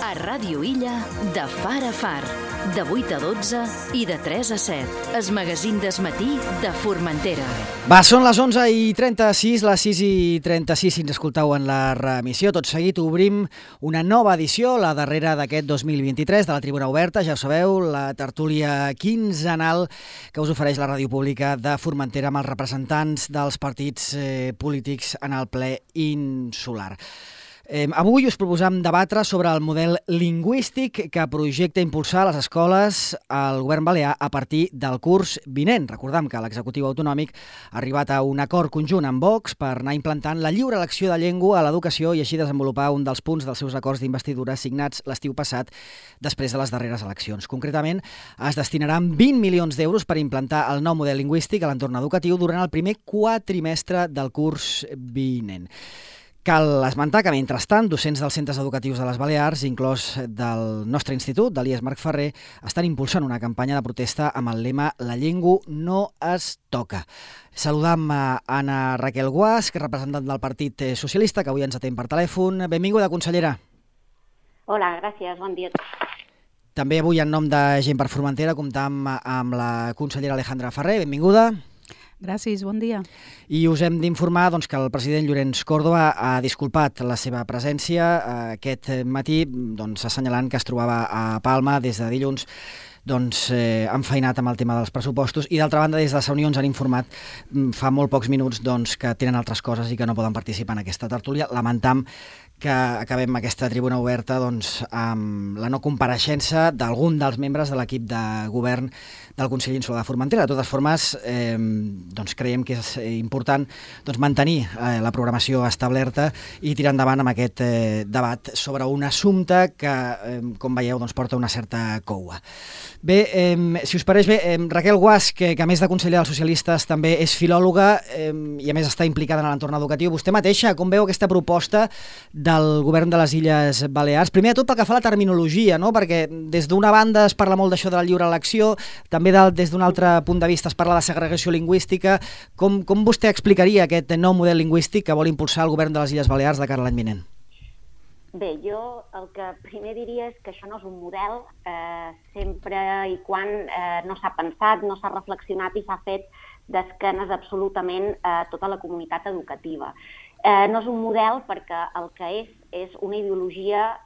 A Ràdio Illa, de far a far, de 8 a 12 i de 3 a 7. Es magazín desmatí de Formentera. Va, són les 11:36, les 6:36 si ens escoltau en la remissió. Tot seguit obrim una nova edició, la darrera d'aquest 2023 de la Tribuna Oberta. Ja ho sabeu, la tertúlia quinzenal que us ofereix la ràdio pública de Formentera amb els representants dels partits polítics en el ple insular. Avui us proposam debatre sobre el model lingüístic que projecta impulsar a les escoles el govern balear a partir del curs vinent. Recordem que l'executiu autonòmic ha arribat a un acord conjunt amb Vox per anar implantant la lliure elecció de llengua a l'educació i així desenvolupar un dels punts dels seus acords d'investidura signats l'estiu passat després de les darreres eleccions. Concretament, es destinaran 20 milions d'euros per implantar el nou model lingüístic a l'entorn educatiu durant el primer quatrimestre del curs vinent. Cal esmentar que, mentrestant, docents dels centres educatius de les Balears, inclòs del nostre institut, de l'IES Marc Ferrer, estan impulsant una campanya de protesta amb el lema «La llengua no es toca». Saludam a Anna Raquel Guasch, representant del Partit Socialista, que avui ens atén per telèfon. Benvinguda, consellera. Hola, gràcies, bon dia. També avui, en nom de Gent per Formentera, comptam amb la consellera Alejandra Ferrer. Benvinguda. Gràcies, bon dia. I us hem d'informar que el president Llorenç Córdoba ha disculpat la seva presència aquest matí, assenyalant que es trobava a Palma des de dilluns, enfeinat amb el tema dels pressupostos, i d'altra banda des de Sa Unió ens han informat fa molt pocs minuts que tenen altres coses i que no poden participar en aquesta tertúlia. Lamentam que acabem aquesta tribuna oberta amb la no compareixença d'algun dels membres de l'equip de govern del Consell Insular de Formentera. De totes formes, creiem que és important mantenir la programació establerta i tirar endavant amb aquest debat sobre un assumpte que, com veieu, porta una certa coua. Bé, si us pareix bé, Raquel Guasch, que a més de consellera dels socialistes també és filòloga i a més està implicada en l'entorn educatiu. Vostè mateixa, com veu aquesta proposta del govern de les Illes Balears? Primer de tot pel que fa a la terminologia, no? Perquè des d'una banda es parla molt d'això de la lliure elecció, també des d'un altre punt de vista es parla de segregació lingüística. Com vostè explicaria aquest nou model lingüístic que vol impulsar el govern de les Illes Balears de cara a l'any vinent? Bé, jo el que primer diria és que això no és un model sempre i quan no s'ha pensat, no s'ha reflexionat i s'ha fet d'esquenes absolutament a tota la comunitat educativa. No és un model perquè el que és una ideologia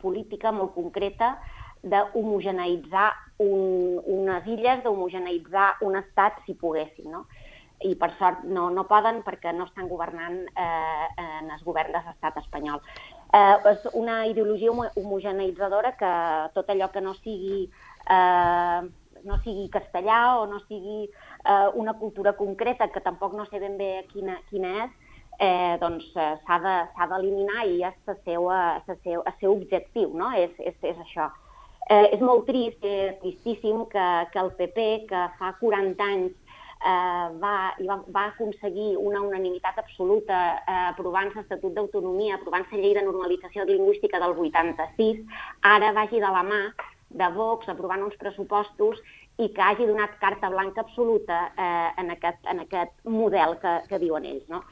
política molt concreta d'homogeneïtzar unes illes, d'homogeneïtzar un estat si poguessin, no? I per sort no poden perquè no estan governant en el govern de l'estat espanyol. És una ideologia homogeneïtzadora que tot allò que no sigui castellà o no sigui una cultura concreta, que tampoc no sé ben bé quina és, s'ha d'eliminar i és el seu objectiu, no? És això. És molt trist, tristíssim, que el PP, que fa 40 anys va aconseguir una unanimitat absoluta aprovant l'Estatut d'Autonomia, aprovant la llei de normalització lingüística del 86, ara vagi de la mà de Vox aprovant uns pressupostos i que hagi donat carta blanca absoluta en aquest model que diuen ells, no?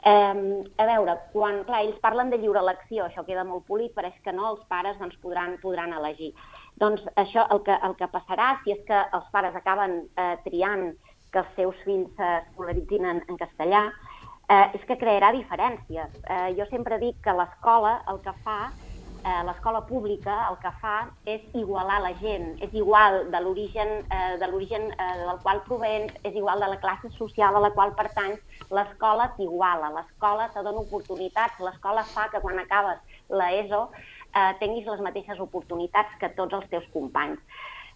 A veure, clar, ells parlen de lliure elecció, això queda molt polit, però és que no, els pares podran elegir. Doncs això, el que passarà, si és que els pares acaben triant que els seus fills s'escolaritzin en castellà, és que crearà diferències. Jo sempre dic que l'escola l'escola pública el que fa és igualar la gent, és igual de l'origen del qual provens, és igual de la classe social a la qual pertanys, l'escola t'iguala, l'escola te dona oportunitats, l'escola fa que quan acabes l'ESO tinguis les mateixes oportunitats que tots els teus companys.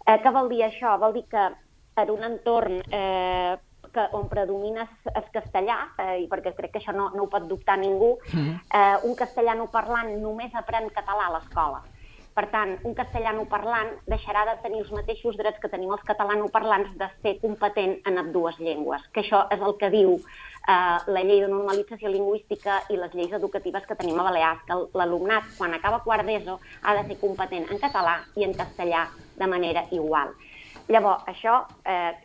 Què vol dir això? Vol dir que en un entorn on predomina el castellà, perquè crec que això no ho pot dubtar ningú, un castellanoparlant només aprèn català a l'escola. Per tant, un castellanoparlant deixarà de tenir els mateixos drets que tenim els catalanoparlants de ser competent en ambdues llengües, que això és el que diu la llei de normalització lingüística i les lleis educatives que tenim a Balears, que l'alumnat, quan acaba quart d'ESO, ha de ser competent en català i en castellà de manera igual. Llavors, això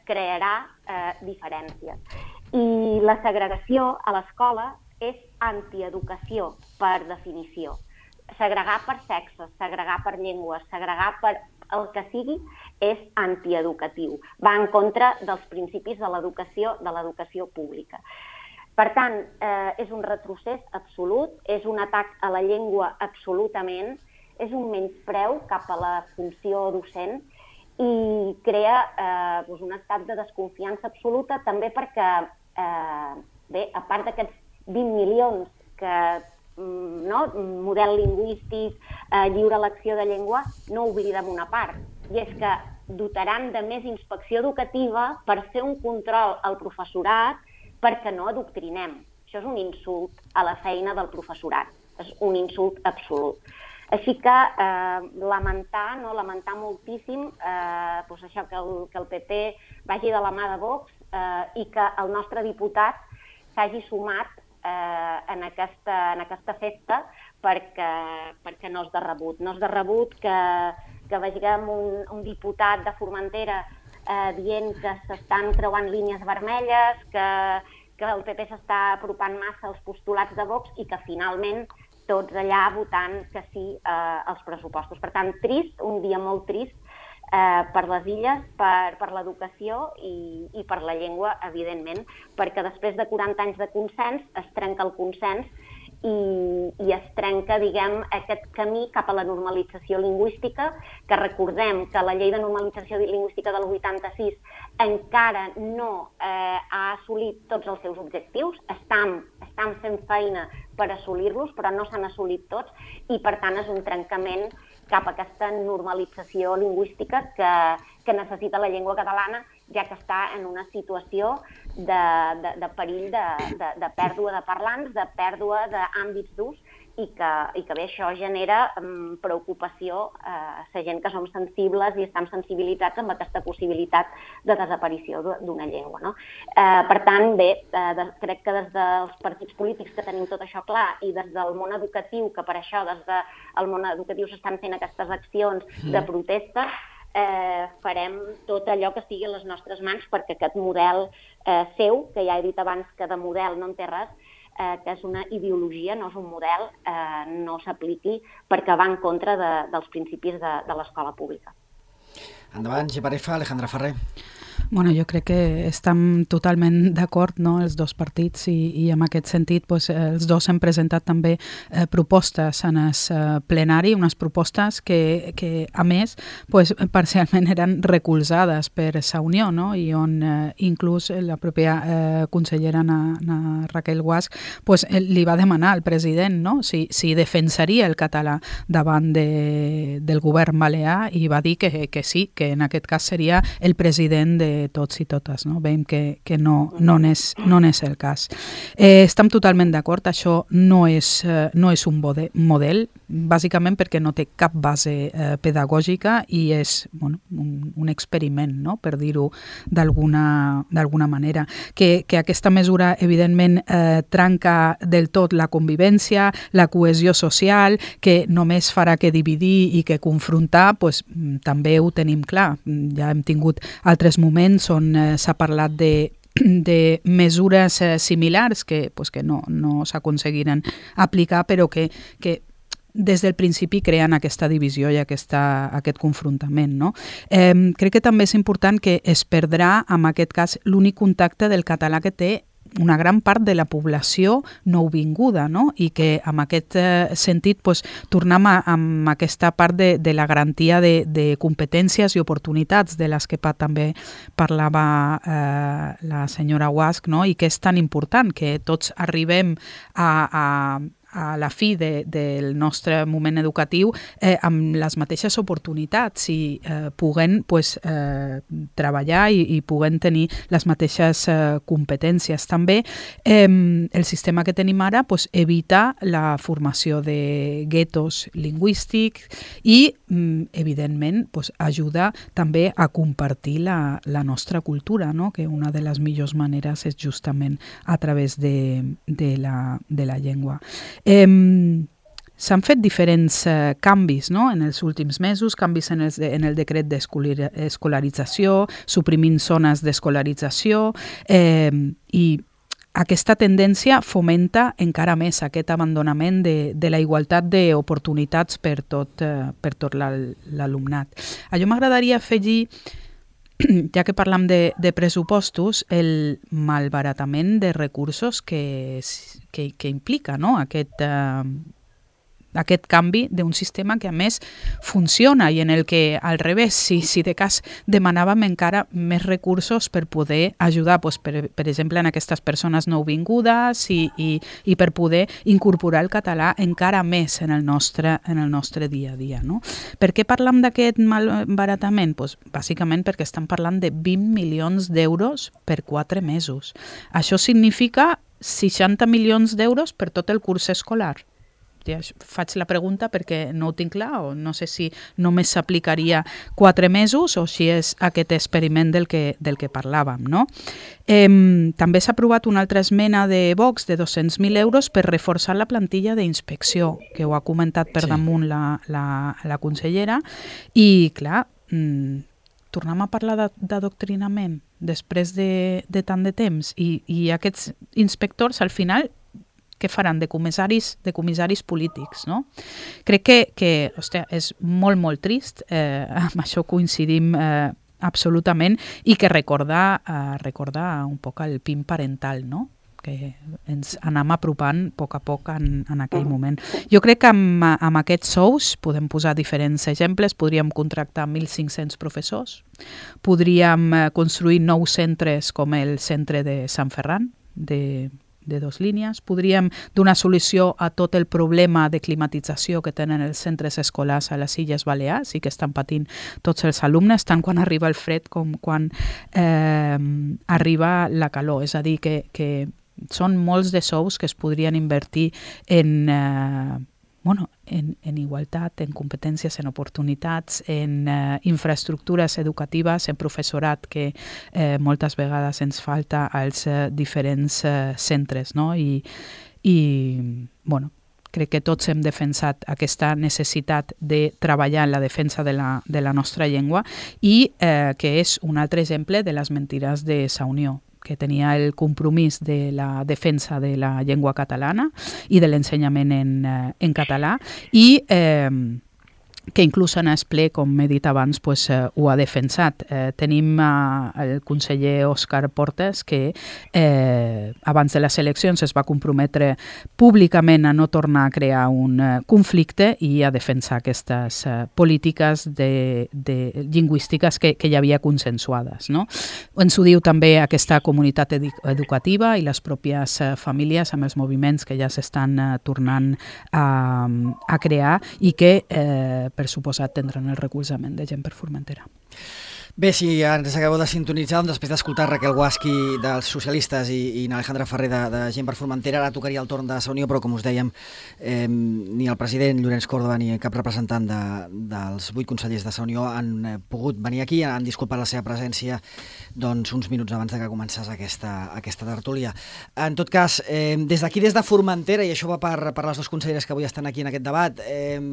crearà diferències. I la segregació a l'escola és antieducació, per definició. segregar per sexe, segregar per llengua, segregar per el que sigui, és antieducatiu. Va en contra dels principis de l'educació pública. Per tant, és un retrocés absolut, és un atac a la llengua absolutament, és un menyspreu cap a la funció docent i crea un estat de desconfiança absoluta, també perquè, a part d'aquests 20 milions que model lingüístic, lliure elecció de llengua, no oblidem una part, i és que dotaran de més inspecció educativa per fer un control al professorat perquè no adoctrinem. Això és un insult a la feina del professorat, és un insult absolut. Així que lamentar moltíssim això que el PP vagi de la mà de Vox i que el nostre diputat s'hagi sumat en aquesta festa perquè no és de rebut. No és de rebut que vegem un diputat de Formentera dient que s'estan creuant línies vermelles, que el PP s'està apropant massa als postulats de Vox i que finalment tots allà votant que sí als pressupostos. Per tant, trist, un dia molt trist per les illes, per l'educació i per la llengua, evidentment, perquè després de 40 anys de consens es trenca el consens i es trenca, diguem, aquest camí cap a la normalització lingüística, que recordem que la llei de normalització lingüística del 86 encara no ha assolit tots els seus objectius, estan fent feina per assolir-los, però no s'han assolit tots, i per tant és un trencament cap a aquesta normalització lingüística que necessita la llengua catalana, ja que està en una situació de perill de pèrdua de parlants, de pèrdua d'àmbits d'ús, i que bé, això genera preocupació a la gent que som sensibles i estem sensibilitzats amb aquesta possibilitat de desaparició d'una llengua, no? Per tant, bé, crec que des dels partits polítics que tenim tot això clar i des del món educatiu, que per això des del món educatiu s'estan fent aquestes accions de protesta, farem tot allò que estigui a les nostres mans perquè aquest model seu, que ja he dit abans que de model no en té res, que és una ideologia, no és un model, no s'apliqui perquè va en contra dels principis de l'escola pública. Endavant, Geparefa, Alejandra Ferrer. Bueno, jo crec que estem totalment d'acord, no?, els dos partits i en aquest sentit els dos hem presentat també propostes en el plenari, unes propostes que a més parcialment eren recolzades per la Unió, no?, i on inclús la pròpia consellera Raquel Guasch li va demanar al president, no?, si defensaria el català davant del govern balear, i va dir que sí, que en aquest cas seria el president de tots i totes, no? Veiem que no n'és el cas. Estem totalment d'acord, això no és un model, bàsicament perquè no té cap base pedagògica i és un experiment, no?, per dir-ho d'alguna manera. Que aquesta mesura, evidentment, trenca del tot la convivència, la cohesió social, que només farà que dividir i que confrontar, també ho tenim clar. Ja hem tingut altres moments on s'ha parlat de mesures similars que no s'aconseguiren aplicar, però que des del principi creen aquesta divisió i aquest confrontament, no? Crec que també és important que es perdrà, en aquest cas, l'únic contacte del català que té una gran part de la població nouvinguda, no? I que en aquest sentit tornem amb aquesta part de la garantia de competències i oportunitats de les que també parlava la senyora Guasch, no? I que és tan important que tots arribem a la fi del nostre moment educatiu amb les mateixes oportunitats i puguem treballar i puguem tenir les mateixes competències. També el sistema que tenim ara evita la formació de guetos lingüístics i, evidentment, ajuda també a compartir la nostra cultura, no? Que una de les millors maneres és justament a través de la llengua. S'han fet diferents canvis, no?, en els últims mesos, canvis en el decret d'escolarització, suprimint zones d'escolarització i aquesta tendència fomenta encara més aquest abandonament de la igualtat d'oportunitats per tot l'alumnat. A jo m'agradaria afegir, ja que parlam de pressupostos, el malbaratament de recursos que implica, no? Aquest canvi d'un sistema que a més funciona i en el que al revés, si de cas demanàvem encara més recursos per poder ajudar, doncs, per exemple, en aquestes persones nouvingudes i per poder incorporar el català encara més en el nostre dia a dia. No? Per què parlam d'aquest malbaratament? Doncs, bàsicament perquè estem parlant de 20 milions d'euros per 4 mesos. Això significa 60 milions d'euros per tot el curs escolar. Faig la pregunta perquè no ho tinc clar, o no sé si només s'aplicaria 4 mesos o si és aquest experiment del que parlàvem. No? També s'ha aprovat una altra esmena de Vox de 200.000 euros per reforçar la plantilla d'inspecció, que ho ha comentat per damunt la consellera, i clar, tornem a parlar d'adoctrinament després de tant de temps, i aquests inspectors al final què faran? De comissaris polítics, no? Crec que hòstia, és molt, molt trist, amb això coincidim absolutament, i que recordar un poc el PIN parental, no? Que ens anem apropant a poc en aquell moment. Jo crec que amb aquests sous podem posar diferents exemples, podríem contractar 1.500 professors, podríem construir nous centres com el centre de Sant Ferran, de 2 línies. Podríem donar solució a tot el problema de climatització que tenen els centres escolars a les Illes Balears i que estan patint tots els alumnes, tant quan arriba el fred com quan arriba la calor. És a dir, que són molts de sous que es podrien invertir en igualtat, en competències, en oportunitats, en infraestructures educatives, en professorat que moltes vegades ens falta als diferents centres. No? I crec que tots hem defensat aquesta necessitat de treballar en la defensa de la nostra llengua i que és un altre exemple de les mentides de Sa Unió, que tenia el compromís de la defensa de la llengua catalana i de l'ensenyament en català i que inclús en el ple, com he dit abans, pues, ho ha defensat. Tenim el conseller Òscar Portes, que abans de les eleccions es va comprometre públicament a no tornar a crear un conflicte i a defensar aquestes polítiques lingüístiques que hi havia consensuades. No? Ens ho diu també aquesta comunitat educativa i les pròpies famílies amb els moviments que ja s'estan tornant a crear i que per suposat tindran el recolzament de Gent per Formentera. Bé, si ens acabeu de sintonitzar, doncs després d'escoltar Raquel Guasqui dels socialistes i Alejandra Ferrer de Gent per Formentera, ara tocaria el torn de Sa Unió, però com us dèiem, ni el president Llorenç Córdoba ni cap representant dels 8 consellers de Sa Unió han pogut venir aquí, han disculpat la seva presència doncs, uns minuts abans de que començés aquesta tertúlia. En tot cas, des d'aquí, des de Formentera, i això va per les 2 conselleres que avui estan aquí en aquest debat,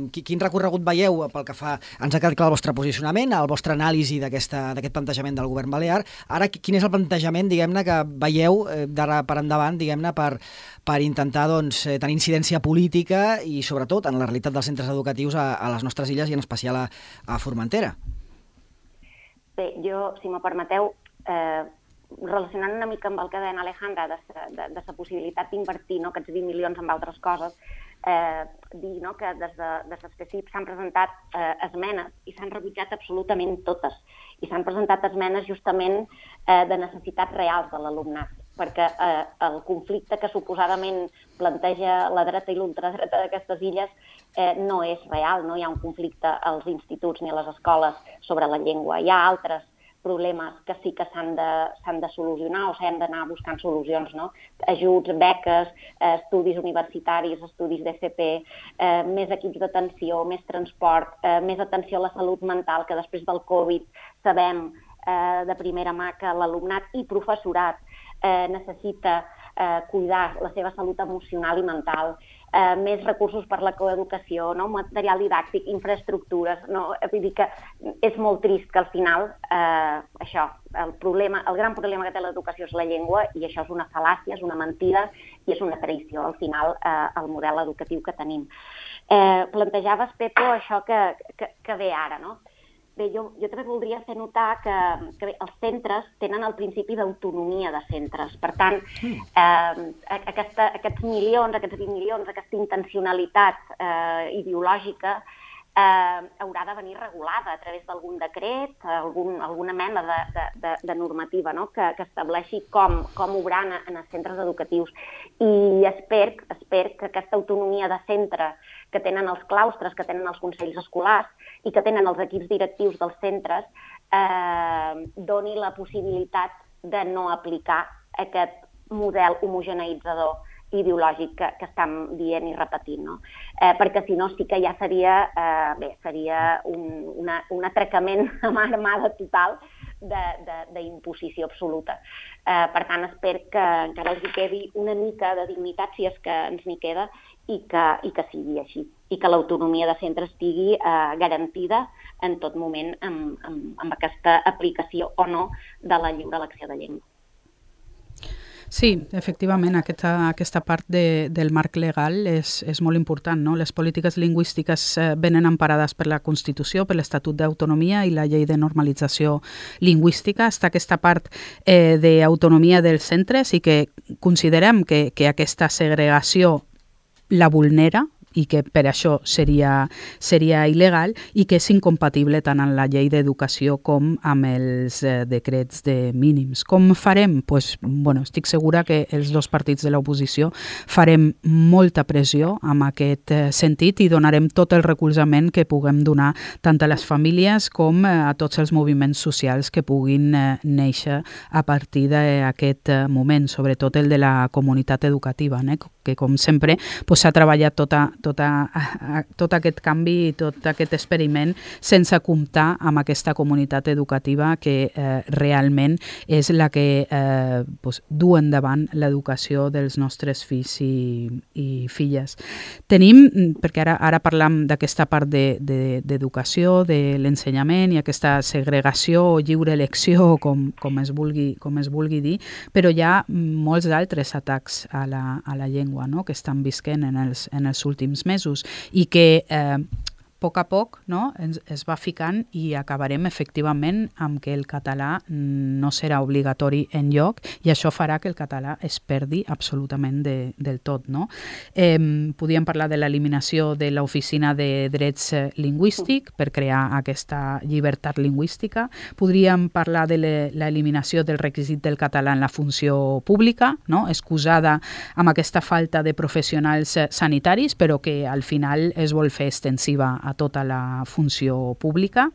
quin recorregut veieu pel que fa... Ens ha quedat clar el vostre posicionament, el vostre anàlisi d'aquest plantejament del govern balear. Ara, quin és el plantejament, diguem-ne, que veieu d'ara per endavant, diguem-ne, per intentar doncs, tenir incidència política i, sobretot, en la realitat dels centres educatius a les nostres illes i en especial a Formentera? Bé, jo, si me permeteu, relacionant una mica amb el que deia Alejandra de la possibilitat d'invertir aquests 20 milions en altres coses, dir que des de l'específic s'han presentat esmenes i s'han rebutjat absolutament totes. I s'han presentat esmenes justament de necessitats reals de l'alumnat, perquè el conflicte que suposadament planteja la dreta i l'ultradreta d'aquestes illes no és real, no hi ha un conflicte als instituts ni a les escoles sobre la llengua. Hi ha altres problemes que sí que s'han de solucionar o s'han d'anar buscant solucions, no? Ajuts, beques, estudis universitaris, estudis d'FP, més equips d'atenció, més transport, més atenció a la salut mental, que després del Covid sabem de primera mà que l'alumnat i professorat necessita cuidar la seva salut emocional i mental, més recursos per la coeducació, no? Material didàctic, infraestructures. No? Vull dir que és molt trist que al final això, el gran problema que té l'educació és la llengua, i això és una fal·làcia, és una mentida i és una traïció al final al model educatiu que tenim. Plantejaves, Pepo, això que ve ara, no? Bé, jo també voldria fer notar que bé, els centres tenen el principi d'autonomia de centres. Per tant, aquests milions, aquests 20 milions, aquesta intencionalitat ideològica haurà de venir regulada a través d'algun decret, alguna mena de normativa, no? que estableixi com obrar en els centres educatius. I espero que aquesta autonomia de centre que tenen els claustres, que tenen els consells escolars i que tenen els equips directius dels centres, doni la possibilitat de no aplicar aquest model homogeneïtzador ideològic que estem dient i repetint, no? Perquè si no sí que ja seria un atracament a mà armada total d'imposició absoluta. Per tant, espero que encara els hi quedi una mica de dignitat, si és que ens n'hi queda, i que sigui així, i que l'autonomia de centre estigui garantida en tot moment amb aquesta aplicació o no de la lliure elecció de llengua. Sí, efectivament, aquesta part del marc legal és molt important, no? Les polítiques lingüístiques venen emparades per la Constitució, per l'Estatut d'Autonomia i la Llei de Normalització Lingüística. Està aquesta part d'autonomia dels centres i que considerem que aquesta segregació la vulnera i que per això seria il·legal i que és incompatible tant amb la llei d'educació com amb els decrets de mínims. Com farem? Estic segura que els dos partits de l'oposició farem molta pressió en aquest sentit i donarem tot el recolzament que puguem donar tant a les famílies com a tots els moviments socials que puguin néixer a partir d'aquest moment, sobretot el de la comunitat educativa, que com sempre s'ha treballat tot aquest canvi i tot aquest experiment sense comptar amb aquesta comunitat educativa que realment és la que du endavant l'educació dels nostres fills i filles. Tenim, perquè ara parlam d'aquesta part d'educació, de l'ensenyament i aquesta segregació o lliure elecció, com es vulgui dir, però hi ha molts d'altres atacs a la llengua, no?, que estan visquent en els últims mesos i que a poc a poc, no, es va ficant i acabarem efectivament amb que el català no serà obligatori enlloc i això farà que el català es perdi absolutament del tot. No? Podríem parlar de l'eliminació de l'Oficina de Drets Lingüístics per crear aquesta llibertat lingüística. Podríem parlar de l'eliminació del requisit del català en la funció pública, no? Excusada amb aquesta falta de professionals sanitaris, però que al final es vol fer extensiva a tota la funció pública.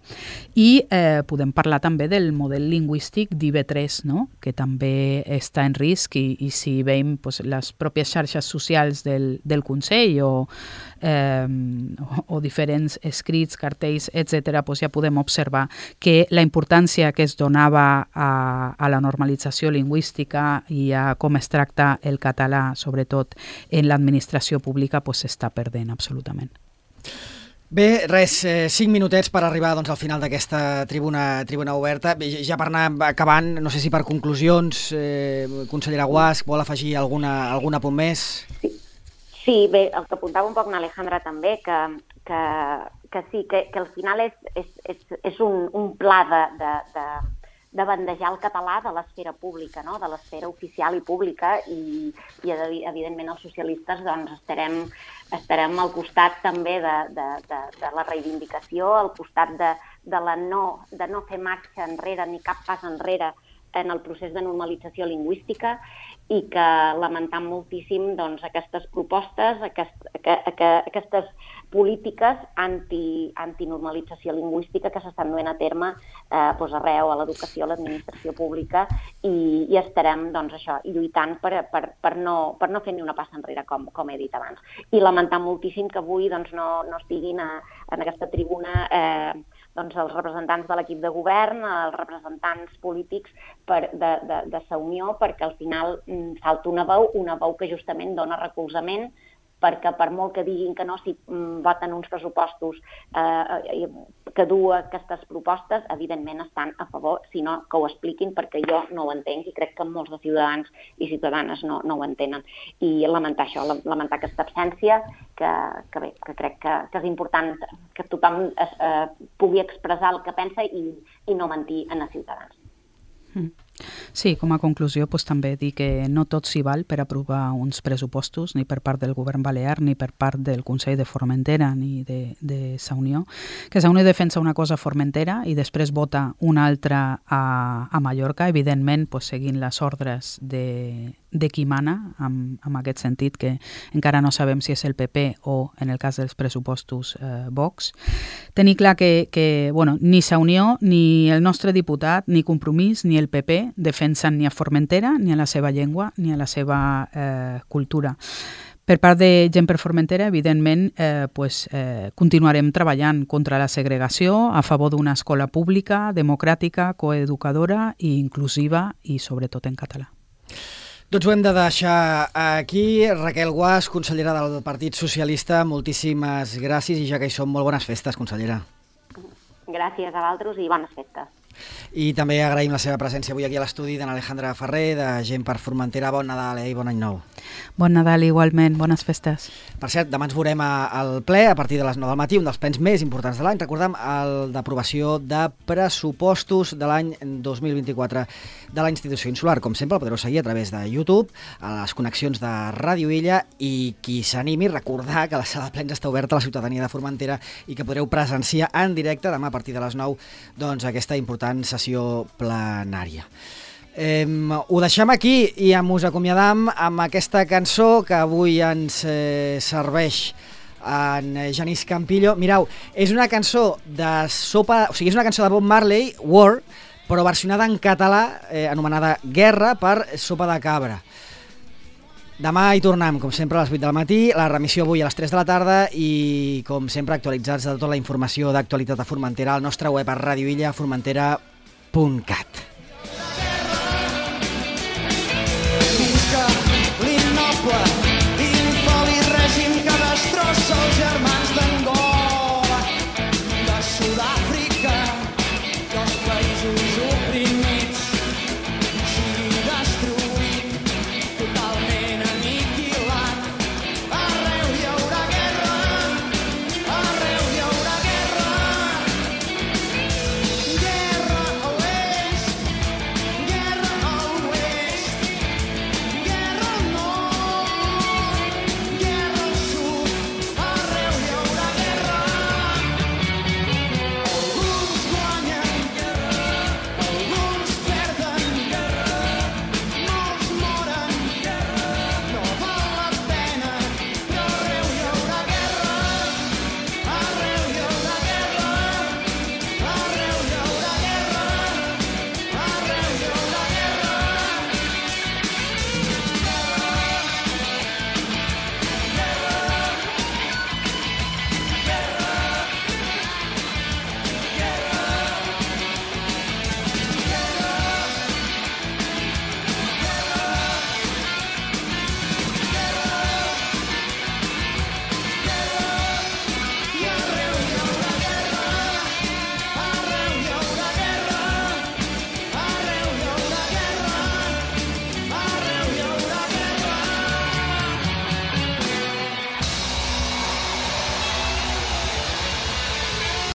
I podem parlar també del model lingüístic d'IV3, no? Que també està en risc i si veiem les pròpies xarxes socials del Consell o diferents escrits, cartells, etc., ja podem observar que la importància que es donava a la normalització lingüística i a com es tracta el català, sobretot en l'administració pública, s'està perdent absolutament. Bé, 5 minutets per arribar al final d'aquesta tribuna oberta. Ja per anar acabant, no sé si per conclusions, consellera Guasch, vol afegir algun apunt més? Sí, bé, el que apuntava un poc l'Alejandra també, que sí, que al final és un pla de bandejar el català de l'esfera pública, no? De l'esfera oficial i pública, i evidentment els socialistes estarem al costat també de la reivindicació, al costat de no fer marxa enrere ni cap pas enrere en el procés de normalització lingüística, i que lamentam moltíssim aquestes propostes, aquestes polítiques antinormalització lingüística que s'estan duent a terme arreu, a l'educació, a l'administració pública, i estarem lluitant per no fer ni una passa enrere, com he dit abans. I lamentam moltíssim que avui no estiguin en aquesta tribuna doncs, els representants de l'equip de govern, els representants polítics de Sa Unió, perquè al final falta una veu que justament dona recolzament, perquè per molt que diguin que no, si voten uns pressupostos que du aquestes propostes, evidentment estan a favor, si no, que ho expliquin, perquè jo no ho entenc i crec que molts de ciutadans i ciutadanes no ho entenen. I lamentar això, lamentar aquesta absència, que bé, que crec que és important que tothom pugui expressar el que pensa i no mentir a els ciutadans. Sí, com a conclusió també dir que no tot s'hi val per aprovar uns pressupostos, ni per part del govern balear, ni per part del Consell de Formentera, ni de Sa Unió, que Sa Unió defensa una cosa a Formentera i després vota una altra a Mallorca, evidentment seguint les ordres de qui mana, en aquest sentit, que encara no sabem si és el PP o, en el cas dels pressupostos, Vox. Tenir clar que ni Sa Unió, ni el nostre diputat, ni Compromís, ni el PP defensen ni a Formentera, ni a la seva llengua, ni a la seva cultura. Per part de Gent per Formentera, evidentment, continuarem treballant contra la segregació, a favor d'una escola pública, democràtica, coeducadora i inclusiva i sobretot en català. Doncs ho hem de deixar aquí. Raquel Guas, consellera del Partit Socialista, moltíssimes gràcies i ja que hi som, molt bones festes, consellera. Gràcies a vosaltres i bones festes. I també agraïm la seva presència avui aquí a l'estudi d'en Alejandra Ferrer, de Gent per Formentera. Bon Nadal i bon any nou. Bon Nadal igualment, bones festes. Per cert, demà ens veurem al ple a partir de les 9 del matí, un dels plens més importants de l'any. Recordem el d'aprovació de pressupostos de l'any 2024 de la institució insular. Com sempre, el podreu seguir a través de YouTube, a les connexions de Ràdio Illa, i qui s'animi, recordar que la sala de plens està oberta a la ciutadania de Formentera i que podreu presenciar en directe demà a partir de les 9 doncs, aquesta important sessió plenària. Ho deixem aquí i us acomiadam amb aquesta cançó que avui ens serveix en Genís Campillo. Mireu, és una cançó de sopa, o sigui, és una cançó de Bob Marley, War, però versionada en català, anomenada Guerra, per Sopa de Cabra. Demà hi tornem, com sempre, a les 8 del matí, la remissió avui a les 3 de la tarda i, com sempre, actualitzats de tota la informació d'actualitat a Formentera al nostre web a radioillaformentera.cat.